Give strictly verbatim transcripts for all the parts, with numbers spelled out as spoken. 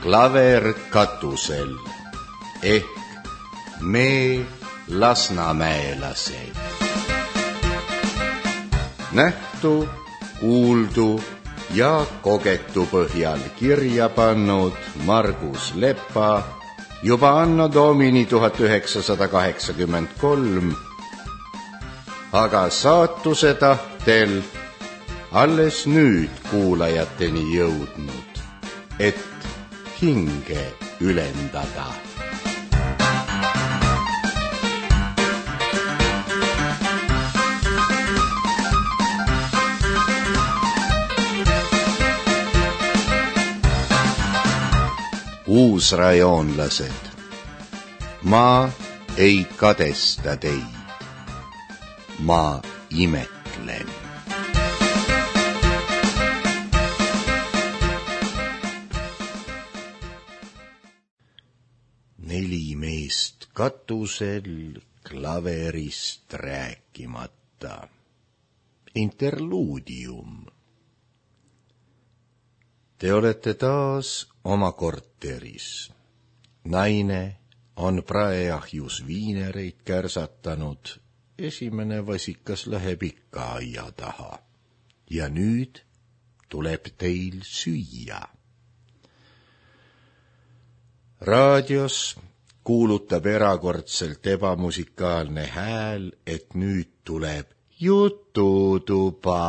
Klaver katusel ehk me lasnamäelased. Nähtu, kuuldu ja kogetu põhjal kirja pannud Margus Lepa juba anno domini tuhat üheksasada kaheksakümmend kolm, aga saatuse tahtel alles nüüd kuulajateni jõudnud, et hinge ülendada. Uusrajoonlased, ma ei kadesta teid, ma imetlen. Neli meest katusel, klaverist rääkimata. Interluudium. Te olete taas oma korteris. Naine on praeahjus viinereid kärsatanud, esimene vasikas läheb ikka aia taha. Ja nüüd tuleb teil süüa. Raadios kuulutab erakordselt ebamusikaalne hääl, et nüüd tuleb jututuba.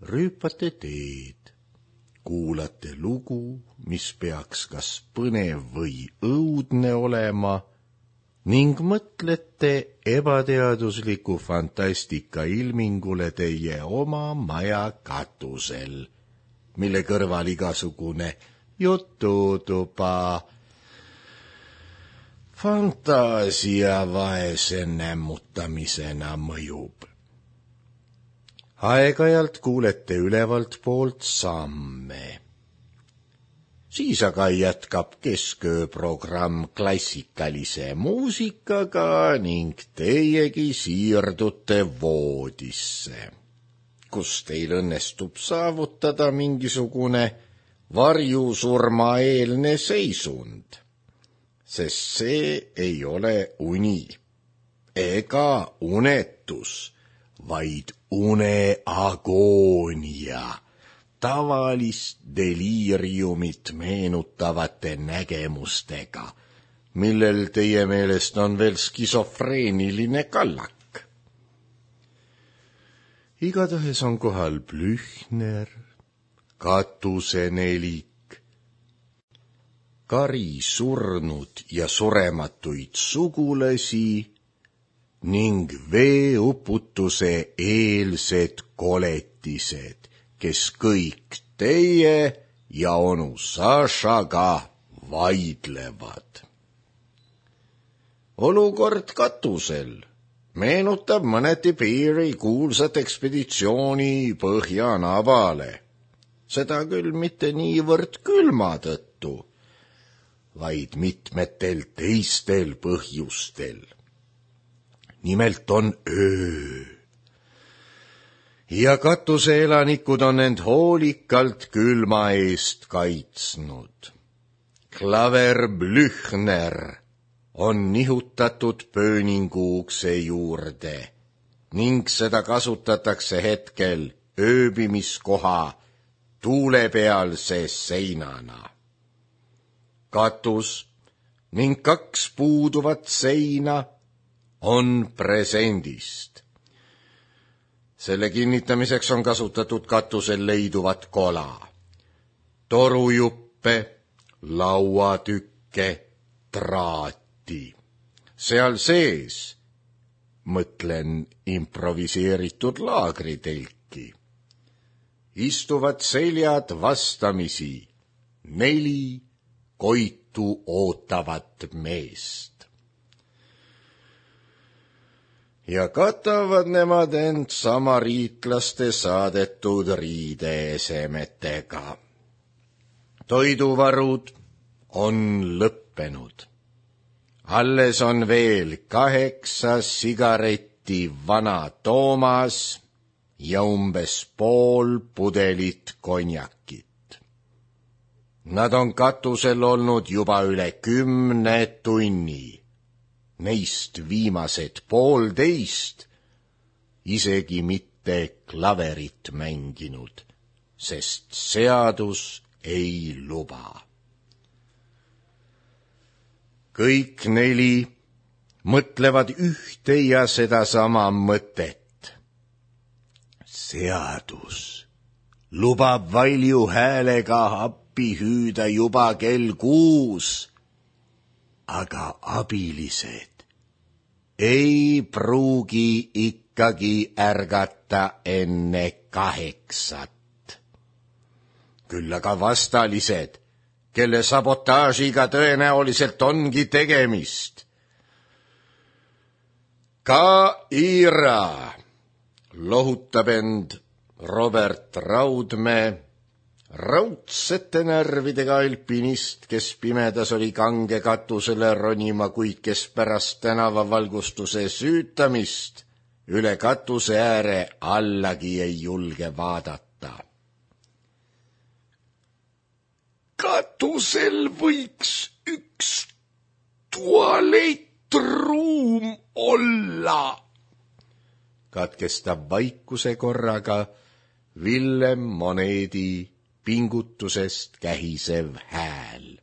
Rüüpate teed, kuulate lugu, mis peaks kas põnev või õudne olema, ning mõtlete ebateadusliku fantastika ilmingule teie oma maja katusel, mille kõrval igasugune jututuba fantaasia vaese nämmutamisena mõjub. Aeg-ajalt kuulete ülevalt poolt samme. Siis aga jätkab keskööprogramm klassikalise muusikaga ning teiegi siirdute voodisse, kus teil õnnestub saavutada mingisugune varjusurmaeelne seisund, sest see ei ole uni ega unetus, vaid uneagoonia, tavalist deliiriumit meenutavate nägemustega, millel teie meelest on veel skisofreeniline kallak. Igatahes on kohal Blüchner, katusenelik, kari surnud ja surematuid sugulasi ning veeuputuse eelsed koletised, kes kõik teie ja onu Sašaga vaidlevad. Olukord katusel meenutab mõneti Peary kuulsat ekspeditsiooni Põhjanabale, seda küll mitte niivõrd külma tõttu, vaid mitmetel teistel põhjustel. Nimelt on öö. Ja katuseelanikud on end hoolikalt külma eest kaitsnud. Klaver Blüchner on nihutatud pööningu ukse juurde ning seda kasutatakse hetkel ööbimiskoha tuulepealse seinana. Katus ning kaks puuduvat seina on presendist. Selle kinnitamiseks on kasutatud katusel leiduvat kola, torujuppe, lauatükke, traati. Seal sees, mõtlen improviseeritud laagritelki, istuvad seljad vastamisi neli koitu ootavat meest. Ja katavad nemad end samariitlaste saadetud riideesemetega. Toiduvarud on lõppenud. Alles on veel kaheksa sigaretti Vana Toomas ja umbes pool pudelit konjakit. Nad on katusel olnud juba üle kümne tunni. Neist viimased poolteist isegi mitte klaverit mänginud, sest seadus ei luba. Kõik neli mõtlevad ühte ja sedasama mõtet. Seadus lubab valju häälega appi hüüda juba kell kuus, aga abilised ei pruugi ikkagi ärgata enne kaheksat. Küll aga vastalised, kelle sabotaažiga tõenäoliselt ongi tegemist. Ka Ira lohutab end Robert Raudmäe, raudsete närvidega alpinist, kes pimedas oli kange katusele ronima, kuid kes pärast tänavavalgustuse süütamist üle katuse ääre allagi ei julge vaadata. Katusel võiks üks tualettruum olla, katkestab vaikuse korraga Villem Moneedi pingutusest kähisev hääl.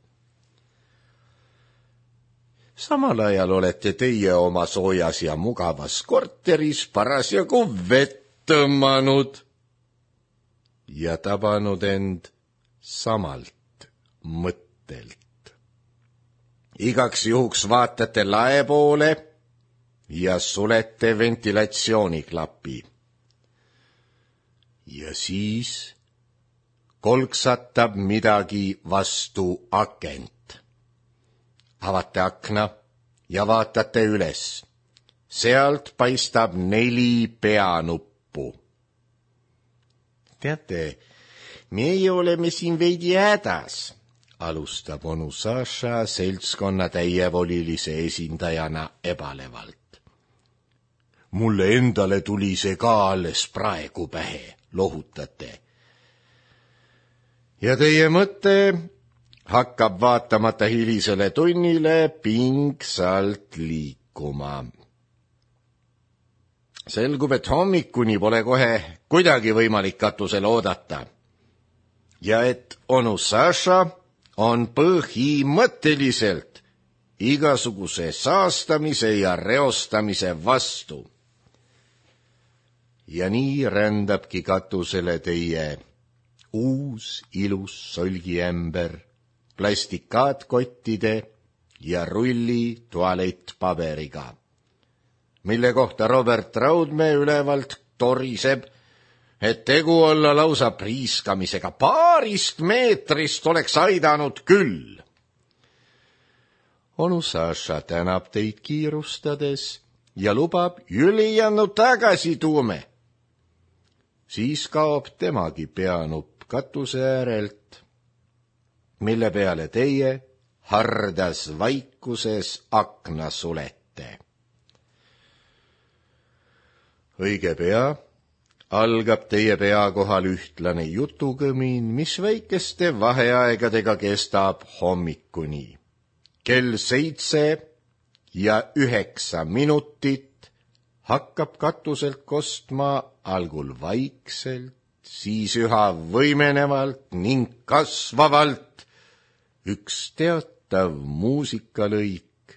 Samal ajal olete teie oma soojas ja mugavas korteris parasjagu vett tõmmanud ja tabanud end samalt mõttelt. Igaks juhuks vaatate lae poole ja sulete ventilatsiooniklapi. Ja siis kolksatab midagi vastu akent. Avate akna ja vaatate üles. Sealt paistab neli peanuppu. Teate, meie oleme siin veidi hädas, alustab onu Saša seltskonna täievolilise esindajana ebalevalt. Mulle endale tuli see ka alles praegu pähe, lohutate. Ja teie mõte hakkab vaatamata hilisele tunnile pingsalt liikuma. Selgub, et hommikuni pole kohe kuidagi võimalik katusel oodata. Ja et onu Saša on põhimõtteliselt igasuguse saastamise ja reostamise vastu. Ja nii rändabki katusele teie uus ilus solgiämber, plastikkaatkottide ja rulli tualettpaberiga, mille kohta Robert Raudmäe ülevalt toriseb, et tegu olla lausa priiskamisega. Paarist meetrist oleks aidanud küll. Onu Saša tänab teid kiirustades ja lubab Jülianu tagasi tuume. Siis kaob temagi peanupp katuse äärelt, mille peale teie hardas vaikuses akna sulete. Õige pea algab teie pea kohal ühtlane jutugõmin, mis väikeste vaheaegadega kestab hommikuni. Kell seitse ja üheksa minutit hakkab katuselt kostma algul vaikselt, siis üha võimenevalt ning kasvavalt üks teatav muusikalõik,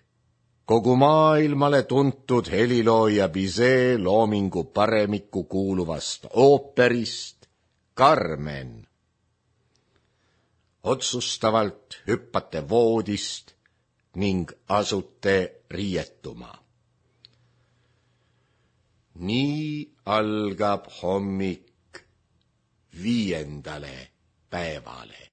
kogu maailmale tuntud helilooja Bizet loomingu paremikku kuuluvast ooperist Carmen. Otsustavalt hüppate voodist ning asute riietuma. Nii algab hommik viiendale päevale.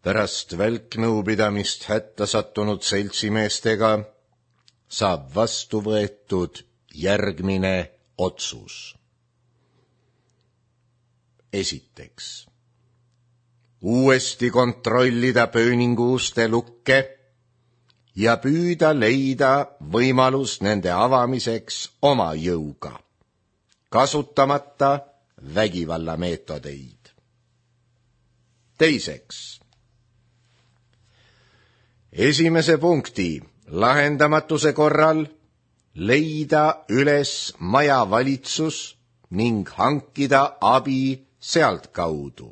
Pärast välknõupidamist hätta sattunud seltsimeestega saab vastu võetud järgmine otsus. Esiteks, uuesti kontrollida pööningu uste lukke ja püüda leida võimalus nende avamiseks oma jõuga, kasutamata vägivallameetodeid. Teiseks, esimese punkti lahendamatuse korral leida üles majavalitsus ning hankida abi sealtkaudu.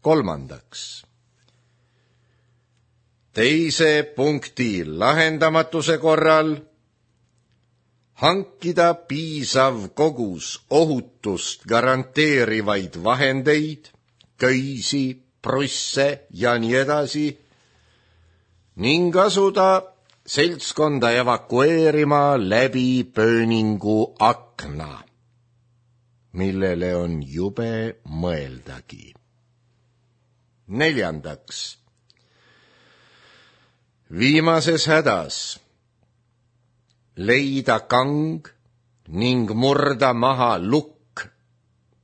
Kolmandaks, teise punkti lahendamatuse korral hankida piisav kogus ohutust garanteerivaid vahendeid, köisi, prusse ja nii edasi ning asuda seltskonda evakueerima läbi pööningu akna, millele on jube mõeldagi. Neljandaks, viimases hädas leida kang ning murda maha lukk,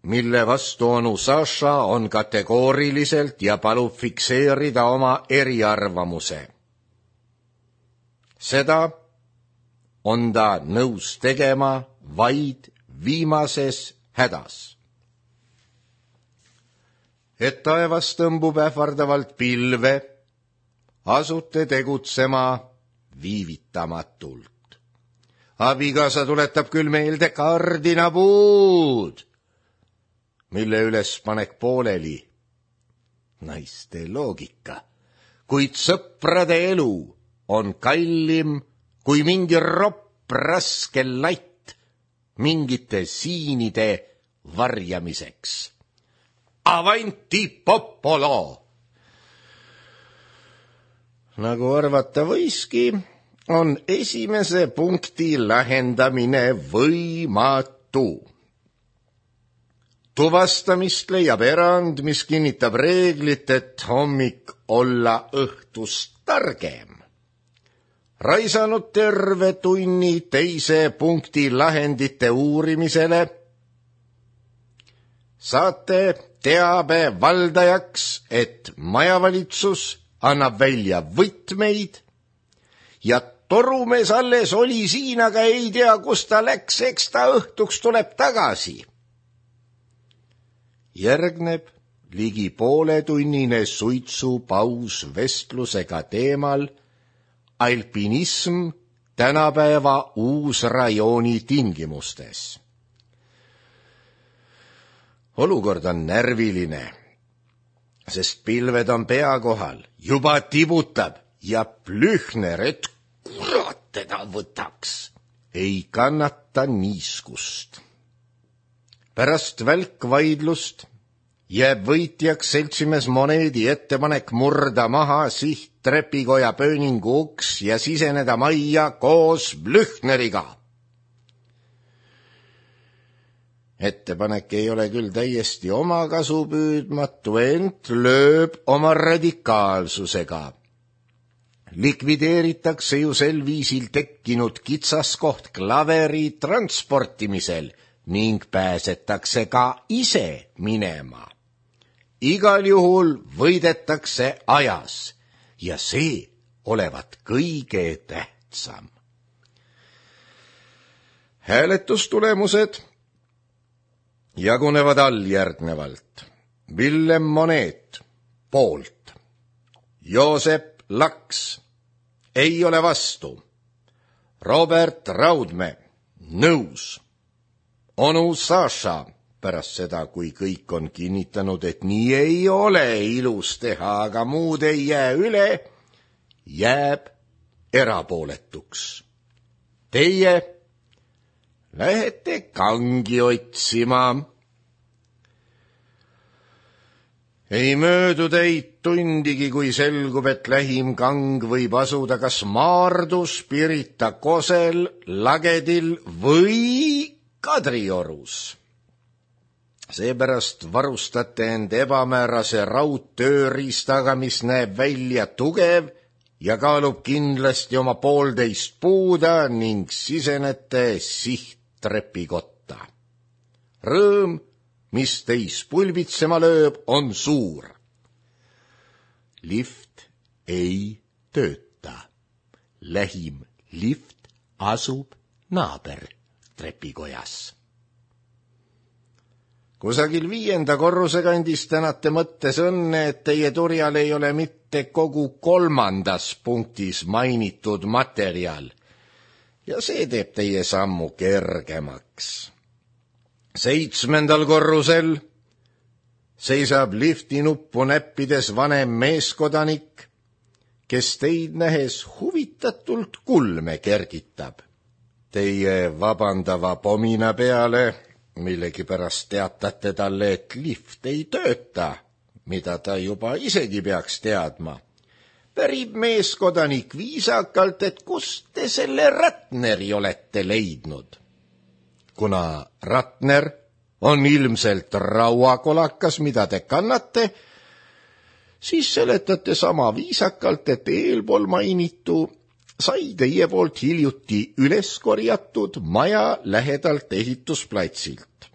mille vastu onu Saša on kategooriliselt ja palub fikseerida oma eriarvamuse. Seda on ta nõus tegema vaid viimases hädas. Et taevas tõmbub ähvardavalt pilve, asute tegutsema viivitamatult. Abikaasa tuletab küll meelde kardinapuud, mille ülespanek pooleli. Naiste loogika, kuid sõprade elu on kallim kui mingi ropp raske latt mingite siinide varjamiseks. Avanti popolo! Nagu arvata võiski, on esimese punkti lahendamine võimatu. Tuvastamist leiab erand, mis kinnitab reeglit, et hommik olla õhtust targem. Raisanud terve tunni teise punkti lahendite uurimisele, saate teabe valdajaks, et majavalitsus annab välja võtmeid ja torumees alles oli siin, aga ei tea, kus ta läks, eks ta õhtuks tuleb tagasi. Järgneb ligi pooletunnine suitsupaus vestlusega teemal alpinism tänapäeva uusrajooni tingimustes. Olukord on närviline, sest pilved on pea kohal, juba tibutab ja Plühner, et kurat teda võtaks, ei kannata niiskust. Pärast välkvaidlust jääb võitjaks seltsimees Moneedi ettepanek murda maha sihttrepikoja pööningu uks ja siseneda majja koos Plühneriga. Ettepanek ei ole küll täiesti omakasupüüdmatu, ent lööb oma radikaalsusega. Likvideeritakse ju sel viisil tekkinud kitsaskoht klaveri transportimisel ning pääsetakse ka ise minema. Igal juhul võidetakse ajas ja see olevat kõige tähtsam. Hääletustulemused jagunevad alljärgnevalt. Villem Moneet poolt. Joosep Laks ei ole vastu. Robert Raudmäe nõus. Onu Saša pärast seda, kui kõik on kinnitanud, et nii ei ole ilus teha, aga muud ei jää üle, jääb erapooletuks. Teie lähete kangi otsima. Ei möödu teid tundigi, kui selgub, et lähim kang võib asuda kas Maardus, Pirita Kosel, Lagedil või Kadriorus. Seepärast varustate end ebamäärase raudtööriistaga, mis näeb välja tugev ja kaalub kindlasti oma poolteist puuda ning sisenete sihttrepikotta. Rõõm, mis teis pulbitsema lööb, on suur. Lift ei tööta. Lähim lift asub naaber trepikojas. Kusagil viienda korruse kandis tänate mõttes õnne, et teie turjal ei ole mitte kogu kolmandas punktis mainitud materjal ja see teeb teie sammu kergemaks. Seitsmendal korrusel seisab lifti nuppu näppides vanem meeskodanik, kes teid nähes huvitatult kulme kergitab. Teie vabandava pomina peale millegipärast teatate talle, et lift ei tööta, mida ta juba isegi peaks teadma. Pärib meeskodanik viisakalt, et kust te selle Ratneri olete leidnud. Kuna Ratner on ilmselt rauakolakas, mida te kannate, siis seletate sama viisakalt, et eelpool mainitu sai teie poolt hiljuti üles korjatud maja lähedalt ehitusplatsilt.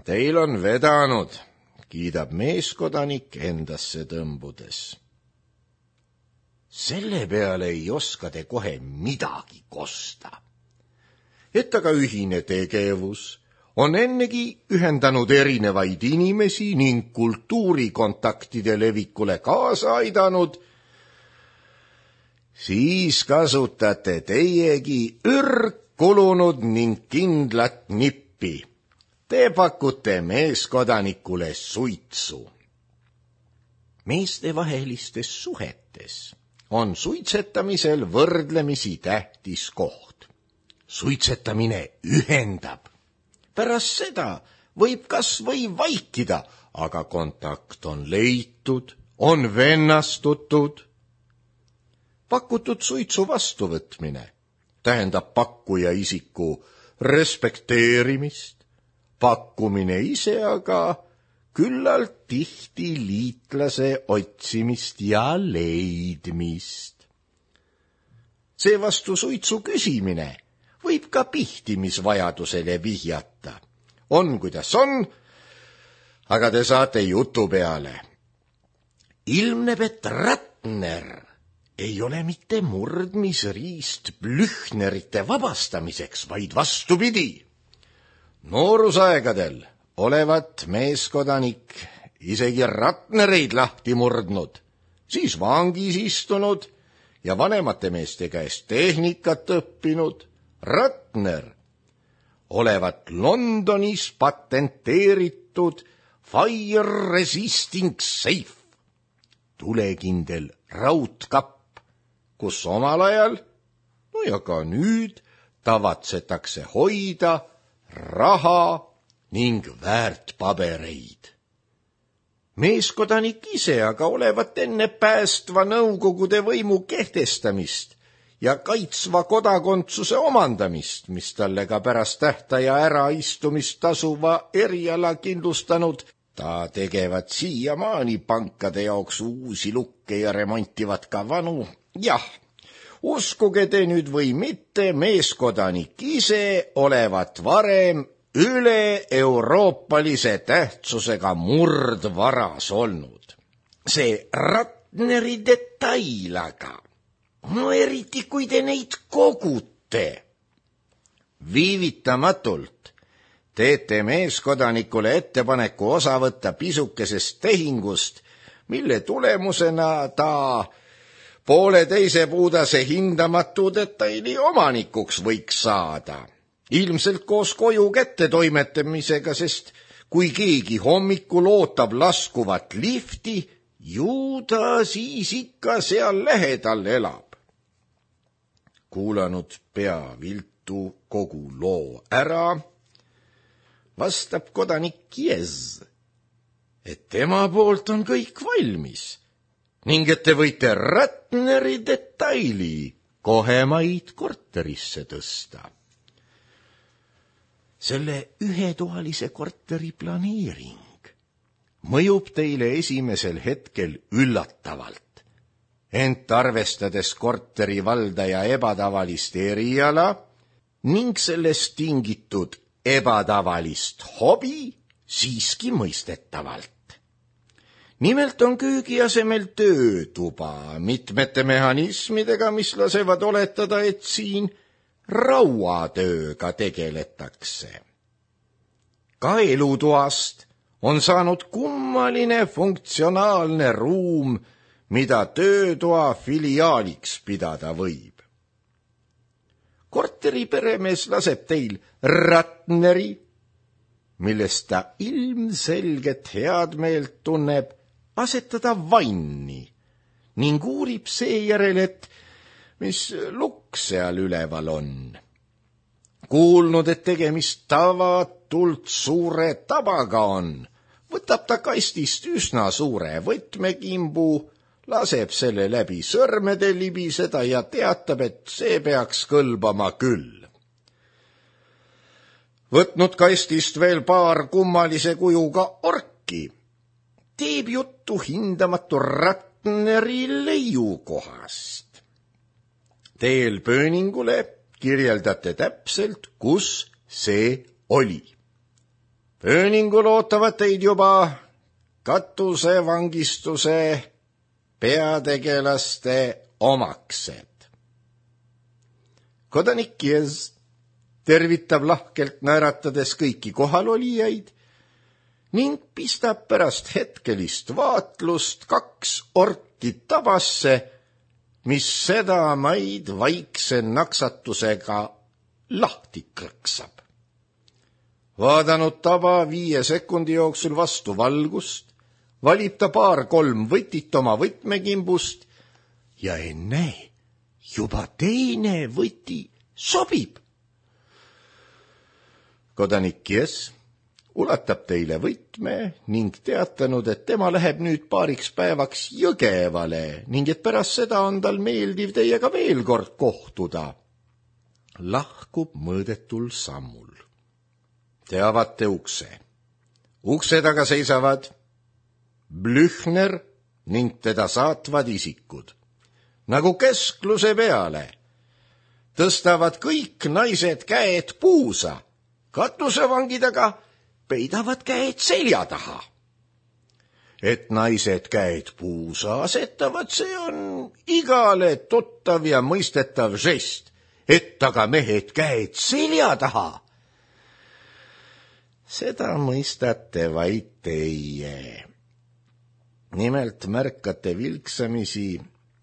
Teil on vedanud, kiidab meeskodanik endasse tõmbudes. Selle peale ei oska te kohe midagi kosta. Et aga ühine tegevus on ennegi ühendanud erinevaid inimesi ning kultuurikontaktide levikule kaasa aidanud, siis kasutate teiegi ürgkulunud ning kindlat nippi. Te pakute meeskodanikule suitsu. Meestevahelistes suhetes on suitsetamisel võrdlemisi tähtis koht. Suitsetamine ühendab. Pärast seda võib kas või vaikida, aga kontakt on leitud, on vennastutud. Pakutud suitsu vastuvõtmine tähendab pakkuja isiku respekteerimist, pakkumine ise aga küllalt tihti liitlase otsimist ja leidmist. Seevastu suitsu küsimine võib ka pihtimisvajadusele vihjata. On kuidas on, aga te saate jutu peale. Ilmneb, et Ratner ei ole mitte murdmisriist Blüchnerite vabastamiseks, vaid vastupidi. Noorusaegadel olevat meeskodanik isegi Ratnereid lahti murdnud, siis vangis istunud ja vanemate meeste käest tehnikat õppinud. Ratner olevat Londonis patenteeritud fire resisting safe, tulekindel raudkapp, kus omal ajal, no ja ka nüüd, tavatsetakse hoida raha ning väärtpabereid. Meeskodanik ise aga olevat enne päästva nõukogude võimu kehtestamist ja kaitsva kodakondsuse omandamist, mis talle ka pärast tähtaja äraistumist tasuva eriala kindlustanud, ta tegevad siiamaani pankade jaoks uusi lukke ja remontivad ka vanu. Jah, uskuge te nüüd või mitte, meeskodanik ise olevat varem üle-euroopalise tähtsusega murdvaras olnud. See Ratneri detail aga, no eriti kui te neid kogute. Viivitamatult teete meeskodanikule ettepaneku osa võtta pisukesest tehingust, mille tulemusena ta poole teise puudase hindamatu detaili omanikuks võiks saada. Ilmselt koos koju kätte toimetamisega, sest kui keegi hommikul ootab laskuvat lifti, ju ta siis ikka seal lähedal elab. Kuulanud pea viltu kogu loo ära, vastab kodanik Kies, et tema poolt on kõik valmis ning et te võite Ratneri detaili kohe maid korterisse tõsta. selle ühetoalise korteri planeering mõjub teile esimesel hetkel üllatavalt, ent arvestades korteri valdaja ebatavalist eriala ning sellest tingitud ebatavalist hobi, siiski mõistetavalt. Nimelt on köögi asemel töötuba mitmete mehhanismidega, mis lasevad oletada, et siin rauatööga tegeletakse. Ka elutoast on saanud kummaline funktsionaalne ruum, mida töötoa filiaaliks pidada võib. Korteriperemees laseb teil Ratneri, millest ta ilmselget head meelt tunneb, asetada vanni ning uurib seejärel, et mis lukk seal üleval on. Kuulnud, et tegemist tavatult suure tabaga on, võtab ta kastist üsna suure võtmekimbu, laseb selle läbi sõrmede libiseda ja teatab, et see peaks kõlbama küll. Võtnud kastist veel paar kummalise kujuga orki, teeb juttu hindamatu Ratneri leiukohast. Teel pööningule kirjeldate täpselt, kus see oli. Pööningul ootavad teid juba katusevangistuse peategelaste omaksed. Kodanik Jez tervitab lahkelt naeratades kõiki kohalolijaid ning pistab pärast hetkelist vaatlust kaks orki tabasse, mis sedamaid vaikse naksatusega lahti klõksab. Vaadanud taba viie sekundi jooksul vastu valgust, valib ta paar-kolm võtit oma võtmekimbust ja ennäe, juba teine võti sobib. Kodanik Jez ulatab teile võtme ning teatanud, et tema läheb nüüd paariks päevaks Jõgevale ning et pärast seda on tal meeldiv teiega veel kord kohtuda. Lahkub mõõdetul sammul. Te avate ukse. Ukse taga seisavad Blüchner ning teda saatvad isikud. Nagu keskluse peale tõstavad kõik naised käed puusa, katusevangid aga peidavad käed selja taha. Et naised käed puusa asetavad, see on igale tuttav ja mõistetav žest, et aga mehed käed selja taha. Seda mõistate vaid teie. Nimelt märkate vilksamisi,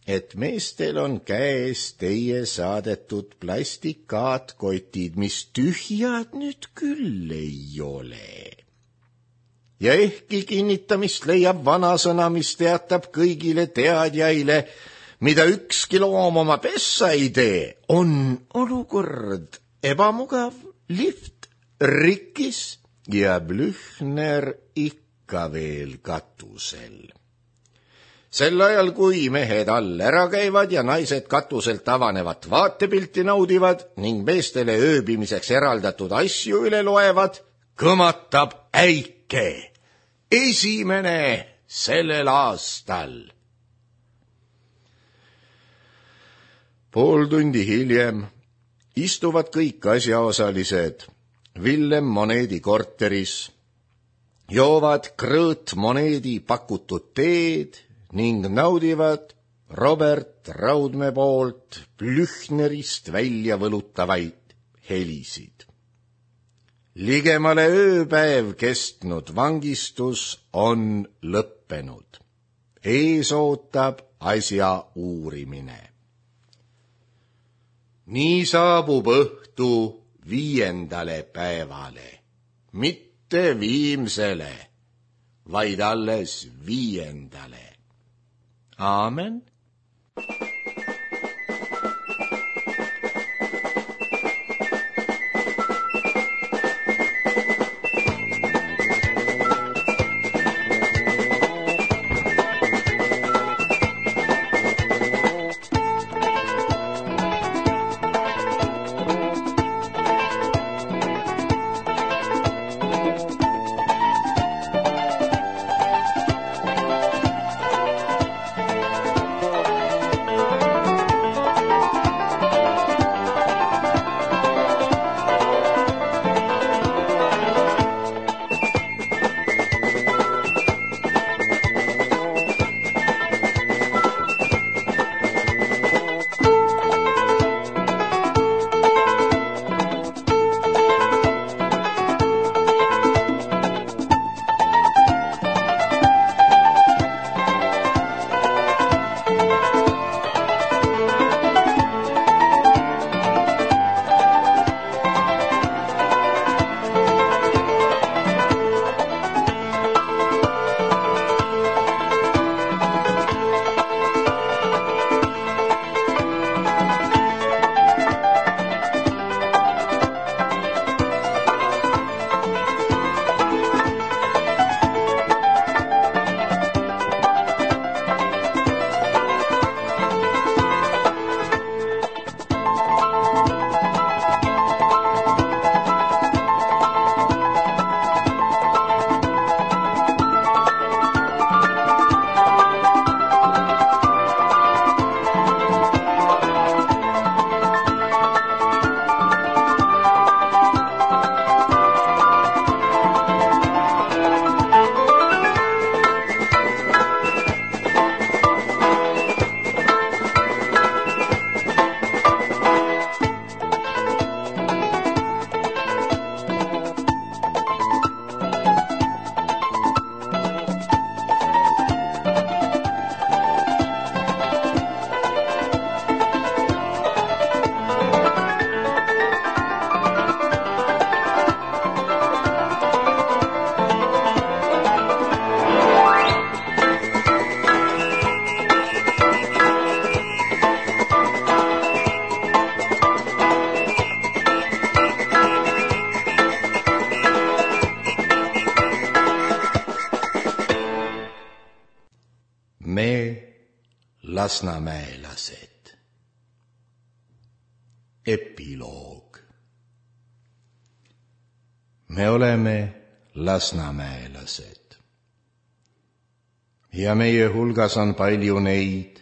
et meestel on käes teie saadetud plastikaatkotid, mis tühjad nüüd küll ei ole. Ja ehkki kinnitamist leiab vanasõna, mis teatab kõigile teadjaile, mida ükski loom oma pessa ei tee, on olukord ebamugav, lift rikkis ja Blüchner ikka veel katusel. Sel ajal, kui mehed all ära käivad ja naised katuselt avanevat vaatepilti naudivad ning meestele ööbimiseks eraldatud asju üle loevad, kõmatab äike, esimene sellel aastal. Pool tundi hiljem istuvad kõik asjaosalised Villem Moneedi korteris, joovad Krõõt Moneedi pakutud teed ning naudivad Robert Raudmäe poolt Blüchnerist välja võlutavaid helisid. Ligemale ööpäev kestnud vangistus on lõppenud. Ees ootab asja uurimine. Nii saabub õhtu viiendale päevale, mitte viimsele, vaid alles viiendale. Aamen. lasnamäelased. Epiloog. Me oleme lasnamäelased ja meie hulgas on palju neid,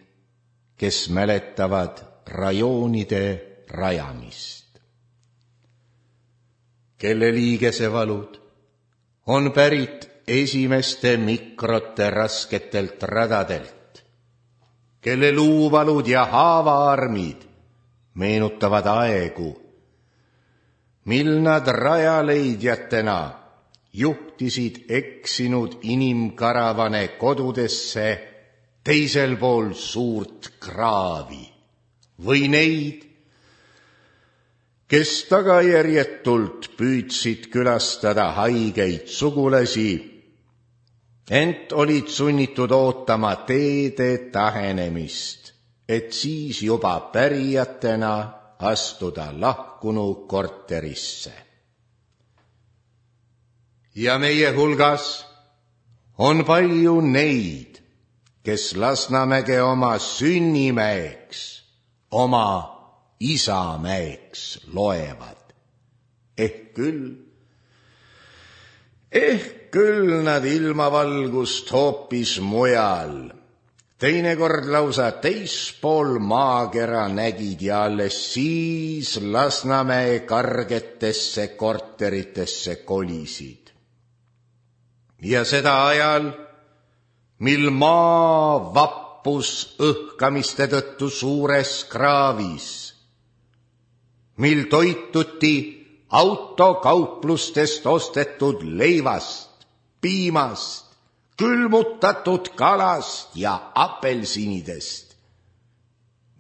kes mäletavad rajoonide rajamist, kelle liigesevalud on pärit esimeste mikrote rasketelt radadelt, kelle luuvalud ja haavaarmid meenutavad aegu, mil nad rajaleidjatena juhtisid eksinud inimkaravane kodudesse teisel pool suurt kraavi, või neid, kes tagajärjetult püüdsid külastada haigeid sugulasi, ent olid sunnitud ootama teede tahenemist, et siis juba pärijatena astuda lahkunu korterisse. Ja meie hulgas on palju neid, kes Lasnamäge oma sünnimäeks, oma isamäeks loevad. Ehk küll, ehk küll nad ilmavalgust hoopis mujal, teinekord lausa teispool maakera nägid ja alles siis Lasnamäe kargetesse korteritesse kolisid. Ja seda ajal, mil maa vappus õhkamiste tõttu suures kraavis, mil toituti autokauplustest ostetud leivast, piimast, külmutatud kalast ja apelsinidest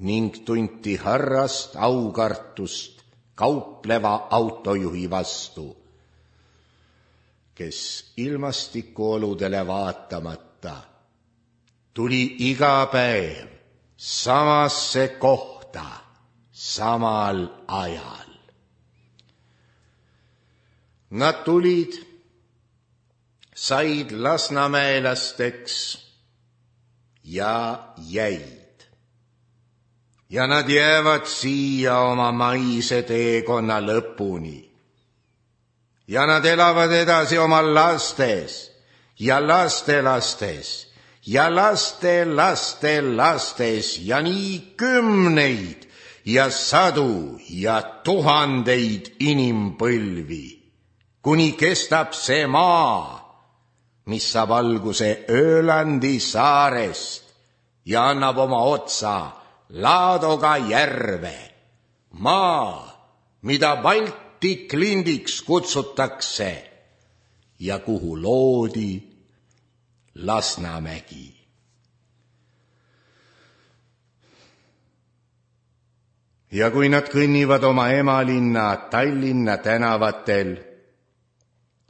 ning tunti harrast aukartust kaupleva autojuhi vastu, kes ilmastikuoludele vaatamata tuli iga päev samasse kohta samal ajal. Nad tulid, said lasnamäelasteks ja jäid. Ja nad jäävad siia oma maise teekonna lõpuni. Ja nad elavad edasi oma lastes ja lastelastes ja laste laste lastes ja nii kümneid ja sadu ja tuhandeid inimpõlvi, kuni kestab see maa, mis saab alguse Öölandi saarest ja annab oma otsa Laadoga järve, maa, mida Balti klindiks kutsutakse ja kuhu loodi Lasnamägi. Ja kui nad kõnnivad oma emalinna Tallinna tänavatel,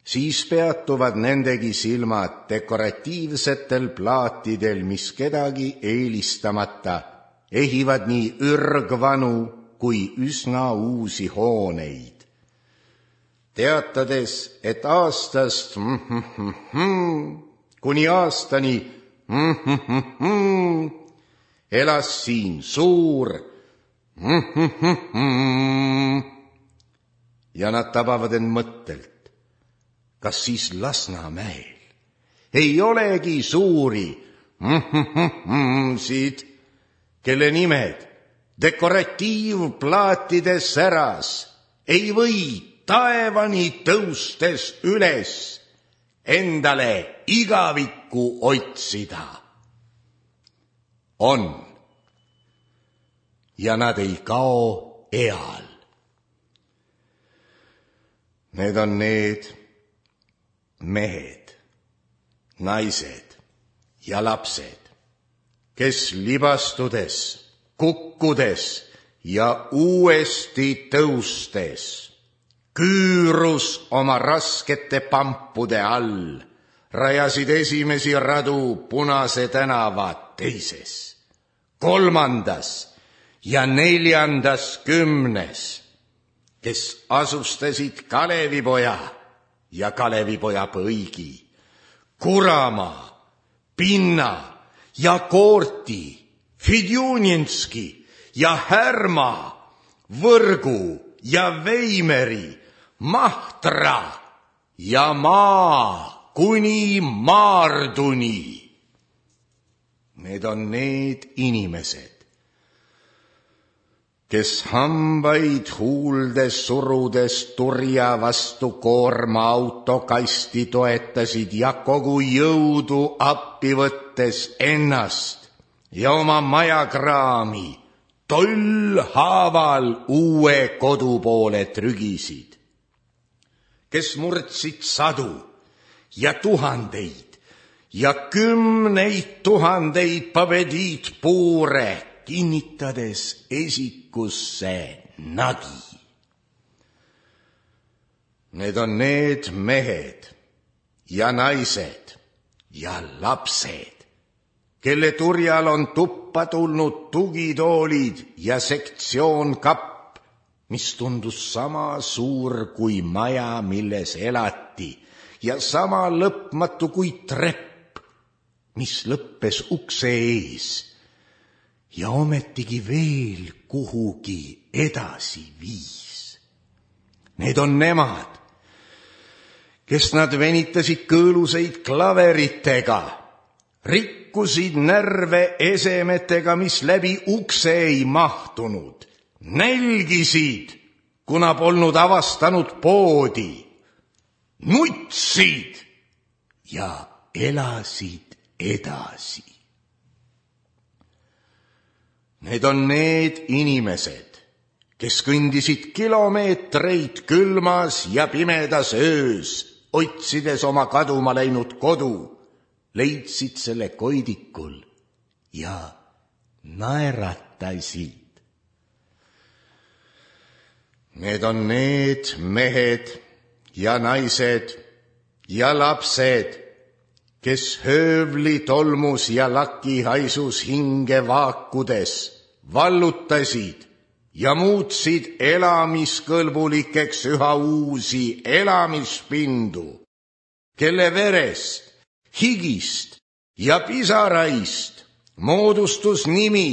siis peatuvad nendegi silmad dekoratiivsetel plaatidel, mis kedagi eelistamata ehivad nii ürgvanu kui üsna uusi hooneid, teatades, et aastast mm-hmm-hmm, kuni aastani mm-hmm-hmm, elas siin suur mm-hmm-hmm. Ja nad tabavad end mõttelt, kas siis Lasnamäel ei olegi suuri mm-hmm-hmm-sid, kelle nimed dekoratiivplaatide säras ei või taevani tõustes üles endale igavikku otsida. On. Ja nad ei kao eal. Need on need mehed, naised ja lapsed, kes libastudes, kukkudes ja uuesti tõustes küürus oma raskete pampude all rajasid esimesi radu Punase tänava teises, kolmandas ja neljandas kümnes, kes asustasid Kalevipoja ja Kalevipoja Põigi, Kuramaa, Pinna ja Koorti Fidjuninski ja Härma, Võrgu ja Veimeri, Mahtra ja Maa kuni Maarduni. Need on need inimesed, kes hambaid huuldes surudes turja vastu koorma autokasti toetasid ja kogu jõudu appi võttes ennast ja oma majakraami tollhaaval uue kodu poole trügisid, kes murdsid sadu ja tuhandeid ja kümneid tuhandeid pabediitpuure, kinnitades esikusse nagi. Need on need mehed ja naised ja lapsed, kelle turjal on tuppa tulnud tugitoolid ja sektsioonkapp, mis tundus sama suur kui maja, milles elati, ja sama lõpmatu kui trepp, mis lõppes ukse ees ja ometigi veel kuhugi edasi viis. Need on nemad, kes nad venitasid kõõluseid klaveritega, rikkusid närve esemetega, mis läbi ukse ei mahtunud, nälgisid, kuna polnud avastanud poodi, nutsid ja elasid edasi. Need on need inimesed, kes kõndisid kilomeetreid külmas ja pimedas öös, otsides oma kaduma läinud kodu, leidsid selle koidikul ja naeratasid. Need on need mehed ja naised ja lapsed, kes höövli tolmus ja lakihaisus hinge vaakudes vallutasid ja muutsid elamiskõlbulikeks üha uusi elamispindu, kelle verest, higist ja pisaraist moodustus nimi,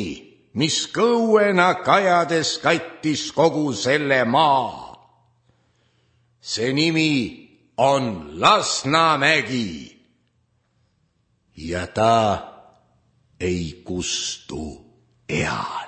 mis kõuena kajades kattis kogu selle maa. See nimi on Lasnamägi. Ja ta ei kustu eal.